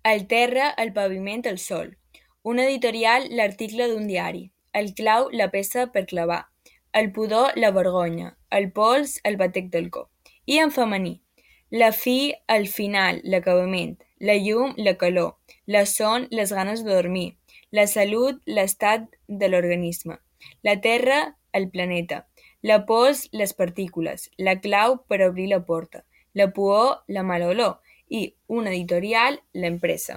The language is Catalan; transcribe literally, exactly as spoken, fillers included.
El terra, el paviment, el sol. Un editorial, l'article d'un diari. El clau, la peça per clavar. El pudor, la vergonya. El pols, el batec del cor. I en femení. La fi, el final, l'acabament. La llum, la calor. La son, les ganes de dormir. La salut, l'estat de l'organisme. La terra, el planeta. La pols, les partícules. La clau per obrir la porta. La pudor, la mala olor. I un editorial, l'empresa.